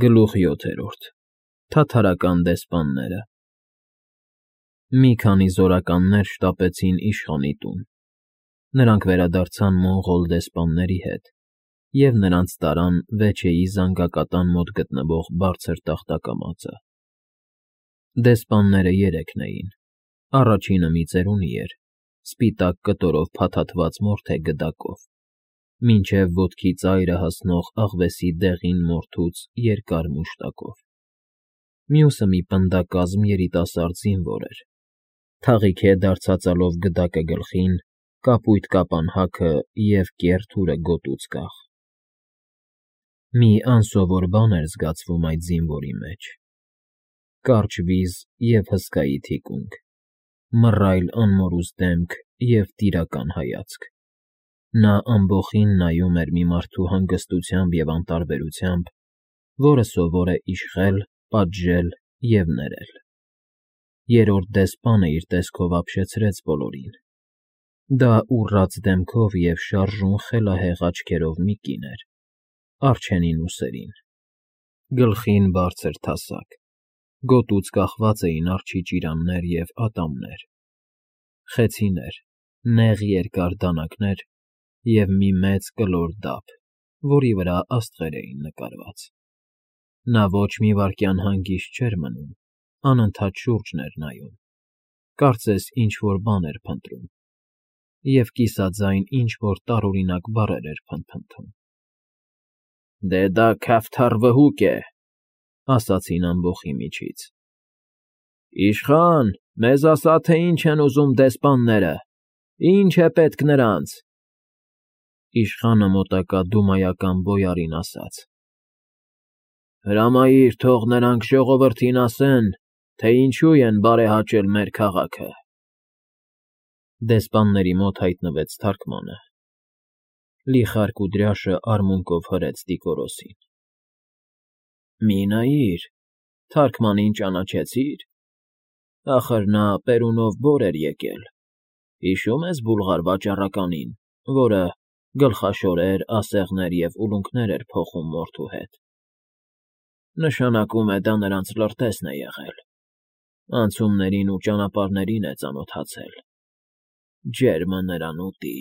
Գլուխ 7 Թաթարական դեսպանները Մի քանի զորականներ շտապեցին իշխանի տուն. նրանք վերադարձան մոնղոլ դեսպանների հետ և նրանց տարան Վեչեի զանգակատան մոտ գտնվող բարձր տախտակամածը. դեսպանները երեքն էին, առաջինը մի ծերունի էր, սպիտակ կտորով փաթաթված մորթե գդակով, մինչև ոտքի ծայրը հասնող աղվեսի դեղին մորթուց երկար մուշտակով, մյուսը մի պնդակազմ երիտասարդ զինվոր էր, թաղիք է դարձածալով գդակը գլխին, կապույտ կապանհաքը և կեռ թուրը գոտուց կախ. մի անսովոր բան էր զգացվում այդ զինվորի մեջ. կարճ վիզ և հսկայի թիկունք, մռայլ անմորուս դեմք և տիրական հայացք. նա ամբոխին նայում էր մի մարդու հանգստությամբ և անտարբերությամբ, որը սովոր է իշխել, պատժել և ներել. երրորդ դեսպանը իր տեսքով ապշեցրեց բոլորին. դա ուռած դեմքով և շարժուն խելահեղ աչքերով մի կին էր, առջևին ուսերին, գլխին բարձր թասակ, գոտուց կախված էին արջի ճիրաններ և ատամներ, խեցիներ, նեղ երկար դանակներ և մի մեծ կլոր դափ, որի վրա աստղեր էին նկարված. նա ոչ մի վայրկյան հանգիստ չէր մնում, անընդհատ շուրջն էր նայում, կարծես ինչ֊որ բան էր փնտրում, և կիսաձայն ինչ֊որ տարօրինակ բառեր էր փնթփնթում։ «Դե դա քավթար վհուկ է», ասացին ամբոխի միջից. «Իշխան, մեզ ասա, թե ինչ են ուզում դեսպանները, ինչ է պետք նրանց»։ Իշխանը մոտակա դումայական բոյարին ասաց. «Հրամայիր, թող նրանք ժողովրդին ասեն, թե ինչու են բարեհաճել մեր քաղաքը»։ Դեսպանների մոտ հայտնվեց թարգմանը. Լիխար Կուդրյաշը արմունկով հրեց Տիկորոսին. «Մի նայիր, թարգմանին ճանաչեցի՞ր, ախր նա Պերունով բոր էր եկել, հիշո՞ւմ ես Բուլղար վաճառականին, որը գլխաշորեր, ասեղներ և ուլունքներ էր փոխում մորթու հետ։ Նշանակում է դա նրանց լրտեսն է եղել, անցումներին ու ճանապարհներին է ծանոթացել, ջերմը նրան ուտի»։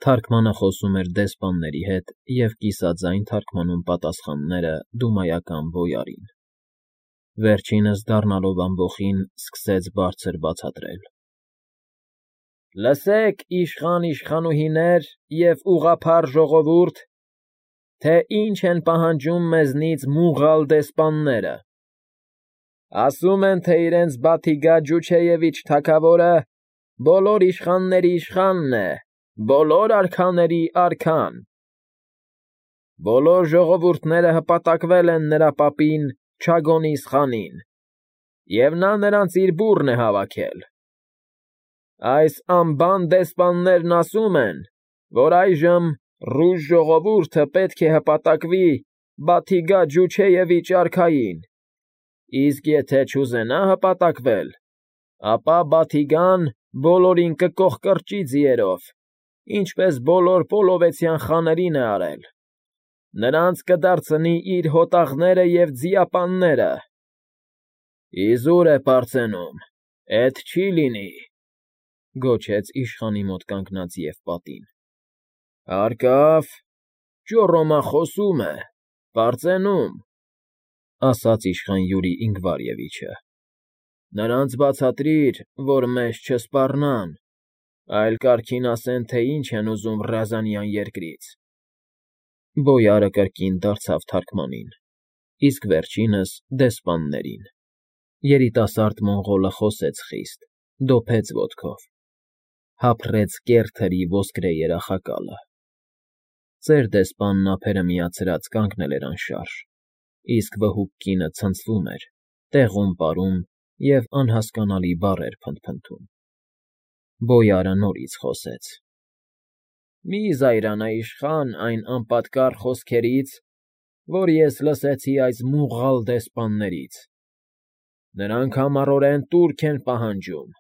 Թարգմանը խոսում էր դեսպանների հետ և կիսաձայն թարգմանում պատասխանները դումայական բոյարին. վերջինս դառնալով ամբոխին սկսեց բարձր բացատրել. «Լսեք, իշխան֊իշխանուհիներ և ուղղափառ ժողովուրդ, թե ինչ են պահանջում մեզնից մուղալ դեսպանները. ասում են, թե իրենց Բաթիգա Ջուչեևիչ թագավորը բոլոր իշխանների իշխանն է, բոլոր արքաների արքան։ Բոլոր ժողովուրդները հպատակվել են նրա պապին Չագոնիս֊խանին, և նա նրանց իր բուռն է հավաքել։ Այս անբան դեսպաններն ասում են, որ այժմ ռուս ժողովուրդը պետք է հպատակվի Բաթիգա Ջուչեևիչ արքային, իսկ եթե չուզենա հպատակվել, ապա Բաթիգան բոլորին կկոխկրճի ձիերով, ինչպես բոլոր պոլովեցյան խաներին է արել, նրանց կդարձնի իր հոտաղները և ձիապանները։ Իզուր է պարծենում, էդ չի լինի», գոչեց իշխանի մոտ կանգնած Եվպատին։ «Հարկավ, ճոռոմա խոսում է, պարծենում», ասաց իշխան Յուրի Ինգվարևիչը։ «Նրանց բացատրիր, որ մեզ չսպառնան, այլ կարգին ասեն, թե ինչ են ուզում Ռազանյան երկրից»։ Բոյարը կրկին դարձավ թարգմանին, իսկ վերջինս դեսպաններին. երիտասարդ մոնղոլը խոսեց խիստ, դոփեց ոտքով, հափռեց կեռ թրի ոսկրե երախակալը. ծեր դեսպանն ափերը միացրած կանգնել էր անշարժ, իսկ վհուկ կինը ցնցվում էր, տեղում պարում և անհասկանալի բառեր փնթփնթում։ Բոյարը նորից խոսեց. «Մի զայրանա, իշխան, այն անպատկառ խոսքերից, որ ես լսեցի այս մուղղալ դեսպաններից. նրանք համառորեն տուրք են պահանջում,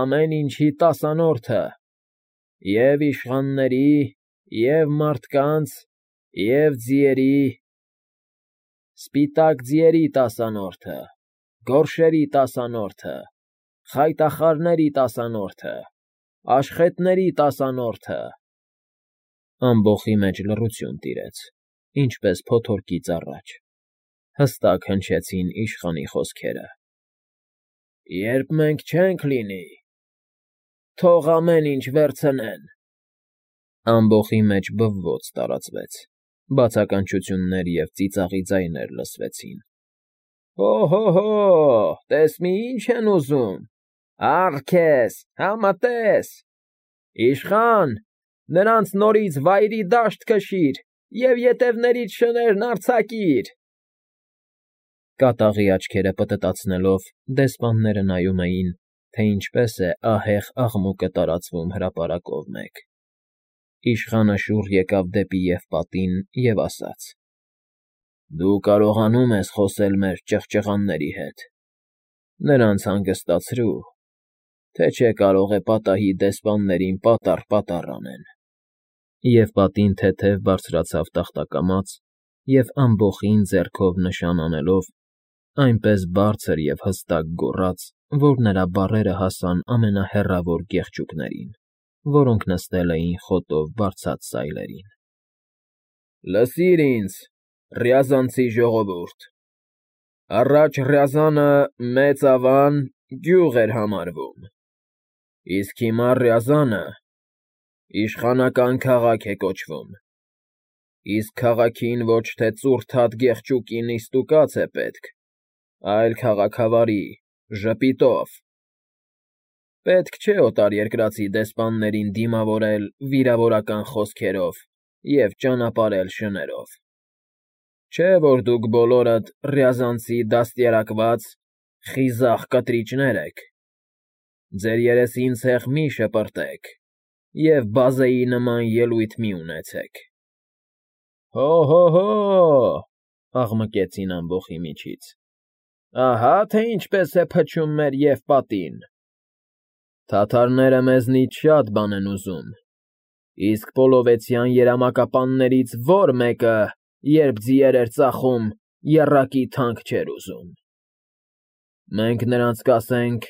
ամեն ինչի տասանորդը, և իշխանների, և մարդկանց, և ձիերի, Սպիտակ ձիերի տասանորդը, գորշերի տասանորդը, խայտախառների տասանորդը, աշխետների տասանորդը։ Ամբոխի մեջ լռություն տիրեց, ինչպես փոթորկից առաջ։ Հստակ հնչեցին իշխանի խոսքերը. «Երբ մենք չենք լինի, թող ամեն ինչ վերցնեն»։ Ամբոխի մեջ բվոց տարածվեց, բացականչություններ և ծիծաղի ձայներ լսվեցին։ «Հո, տես մի ինչ են ուզում, ա՛ռ քեզ, համատես, իշխան, նրանց նորից վայրի դաշտ քշիր և ետևներից շներն արձակիր»։ Կատաղի աչքերը պտտացնելով՝ դեսպանները նայում էին, թե ինչպես է ահեղ աղմուկը տարածվում հրապարակով մեկ։ Իշխանը շուռ եկավ դեպի Եվպատին և ասաց. «Դու կարողանում ես խոսել մեր ճղճղանների հետ, նրանց հանգստացրու, թե չէ կարող է պատահի դեսպաններին պատառ անեն»։ Եվպատին թեթև բարձրացավ տախտակամաց և ամբոխին ձեռքով նշան անելով, այնպես բարձր և հստակ գոռաց, որ նրա բառերը հասան ամենահեռավոր գեղջուկներին, որոնք նստել էին խոտով բարձած սայլերին։ «Լսիր ինձ, Ռյազանցի ժողովուրդ, առաջ Ռյազանը Մեծ Ավան գյուղ էր համարվում, իսկ հիմա Ռյազանը իշխանական քաղաք է կոչվում, իսկ քաղաքին ոչ թե ծուռթատ գեղջուկի նիստուկաց է պետք, այլ քաղաքավարի, ժպիտով։ Պետք չէ օտարերկրացի դեսպաններին դիմավորել վիրավորական խոսքերով և ճանապարհել շներով։ Չէ՞ որ դուք բոլորդ ռյազանցի դաստիարակված, խիզախ կտրիչներ եք։ Ձեր երեսին ցեխ մի շպրտեք և բազեի նման ելույթ մի ունեցեք»։ «Հո, աղմկեցին ամբոխի միջից, ահա թե ինչպես է փչում մեր Եվպատին։ Թաթարները մեզնից շատ բան են ուզում, իսկ պոլովեցյան երամակապաններից ո՞ր մեկը, երբ ձիեր էր ծախում, եռակի թանկ չէր ուզում։ Մենք նրանց կասենք.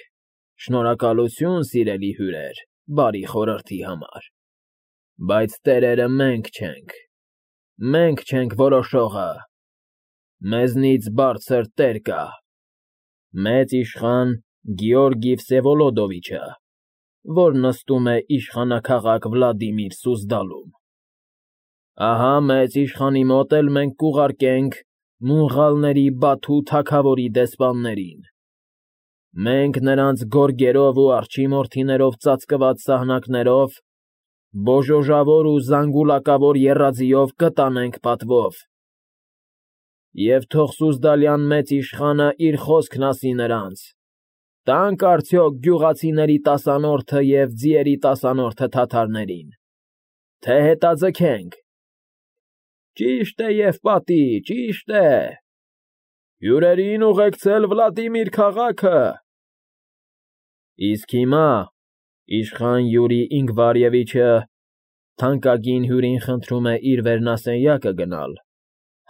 «Շնորհակալություն, սիրելի հյուրեր, բարի խորհրդի համար, բայց տերերը մենք չենք որոշողը, մեզնից բարձր տեր կա, մեծ իշխան Գեորգի Վսևոլոդովիչը, որ նստում է իշխանաքաղաք Վլադիմիր Սուզդալում։ Ահա մեծ իշխանի մոտ էլ մենք կուղարկենք մունղալների Բաթու թագավորի դեսպաններին։ Մենք նրանց գորգերով ու արջիմորդիներով ծածկված սահնակներով, բոժոժավոր ու զանգուլակավոր եռաձիով կտանենք պատվով։ Եվ թող Սուզդալյան մեծ իշխանը իր խոսքն ասի նրանց. տա՞նք արդյոք գյուղացիների տասանորդը և ձիերի տասանորդը թաթարներին, թե հետաձգենք։ Ճիշտ է, Եվպատի, ճիշտ է։ Հյուրերին ուղեկցել Վլադիմիր քաղաքը։ Իսկ հիմա իշխան Յուրի Ինգվարևիչը թանկագին հյուրին խնդրում է իր վերնասենյակը գնալ,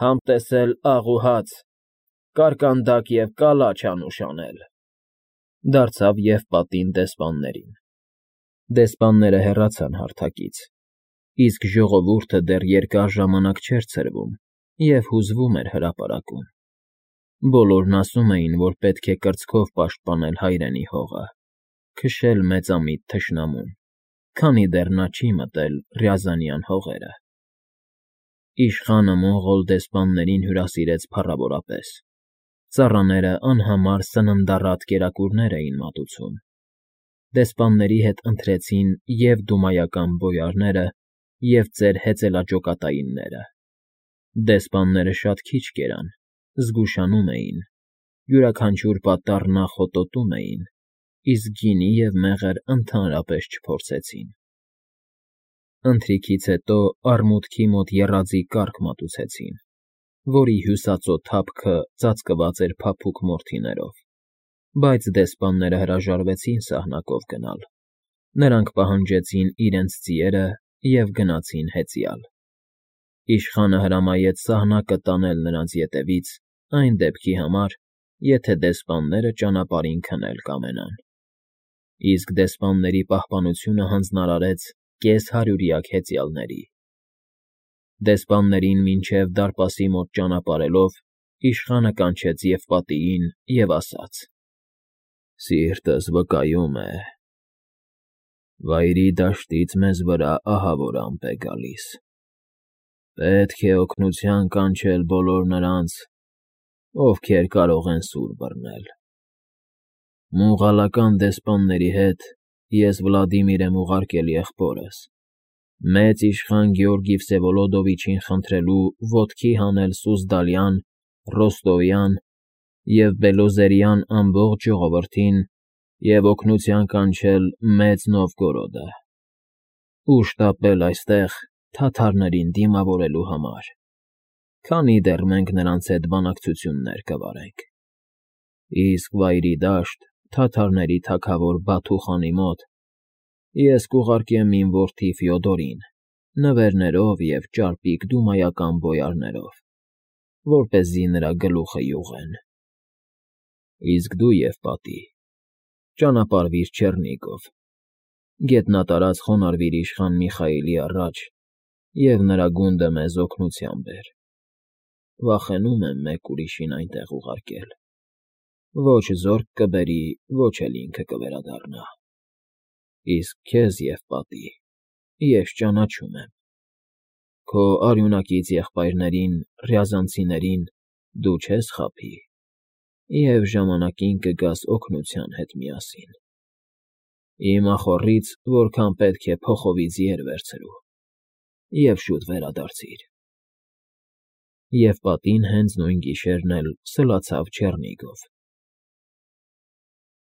համտեսել աղ ու հաց, կարկանդակ և կալաչ անուշ անել։ Դարձավ Եվպատին դեսպաններին։ Դեսպանները հեռացան հարթակից, իսկ ժողովուրդը դեռ երկար ժամանակ չէր ցրվում և հուզվում էր հրապարակում։ Բոլորն ասում էին, որ պետք է կրծքով պաշտպանել հայրենի հողը, քշել մեծամիտ թշնամուն, քանի դեռ նա չի մտել Ռյազանյան հողերը։ Իշխանը մոնղոլ դեսպաններին հյուրասիրեց փառավորապես։ Ծառաները անհամար սննդառատ կերակուրներ էին մատուցում։ Դեսպանների հետ ընթրեցին և դումայական բոյարները, և ծեր հեծելաճոկատայինները։ Դեսպանները շատ քիչ կերան, զգուշանում էին, յուրաքանչյուր պատառ նախոտոտում էին, իսկ գինի և մեղր ընդհանրապես չփորձեցին։ Ընթրիքից հետո արմուտքի մոտ եռաձի կառք մատուցեցին, որի հյուսածո թափքը ծածկված էր փափուկ մորթիներով, բայց դեսպանները հրաժարվեցին սահնակով գնալ։ Նրանք պահանջեցին իրենց ձիերը և գնացին հեծյալ։ Իշխանը հրամայեց սահնակը տանել նրանց ետևից Այն դեպքի համար, եթե դեսպանները ճանապարհին քնել կամենան։ Իսկ դեսպանների պահպանությունը հանձնարարեց կես-հարյուրյակ հեծյալների։ Դեսպաններին մինչև դարպասի մոտ ճանապարհելով, իշխանը կանչեց Եվպատիին և ասաց. «Սիրտս վկայում է. Վայրի դաշտից մեզ վրա ահավոր ամպ է գալիս։ Պետք է օգնության կանչել բոլոր նրանց, ովքեր կարող են սուր բռնել։ Մուղալական դեսպանների հետ ես Վլադիմիր եմ ուղարկել եղբորս, մեծ իշխան Գեորգի Վսևոլոդովիչին խնդրելու ոտքի հանել Սուզդալյան, Ռոստովյան և Բելոզերյան ամբողջ ժողովրդին և օգնության կանչել Մեծ Նովգորոդը ու շտապել այստեղ թաթարներին դիմավորելու համար, քանի դեռ մենք նրանց հետ բանակցություններ կվարենք։ Իսկ Վայրի դաշտ, թաթարների թագավոր Բաթու֊խանի մոտ ես կուղարկեմ իմ որդի Ֆյոդորին նվերներով և ճարպիկ դումայական բոյարներով, որպեսզի նրա գլուխը յուղեն։ Իսկ դու, Եվպատի, ճանապարհվիր Չեռնիգով, գետնատարած խոնարհվիր իշխան Միխայիլի առաջ և նրա գունդը մեզ օգնության բեր։ Վախենում եմ մեկ ուրիշին այնտեղ ուղարկել. ոչ զորք կբերի, ոչ էլ ինքը կվերադառնա։ Իսկ քեզ, Եվպատի, ես ճանաչում եմ. քո արյունակից եղբայրներին, ռյազանցիներին դու չես խաբի և ժամանակին կգաս օգնության հետ միասին։ Իմ ախոռից որքան պետք է փոխովի ձիեր վերցրու և շուտ վերադարձիր։ Եվպատին հենց նույն գիշերն էլ սլացավ Չեռնիգով։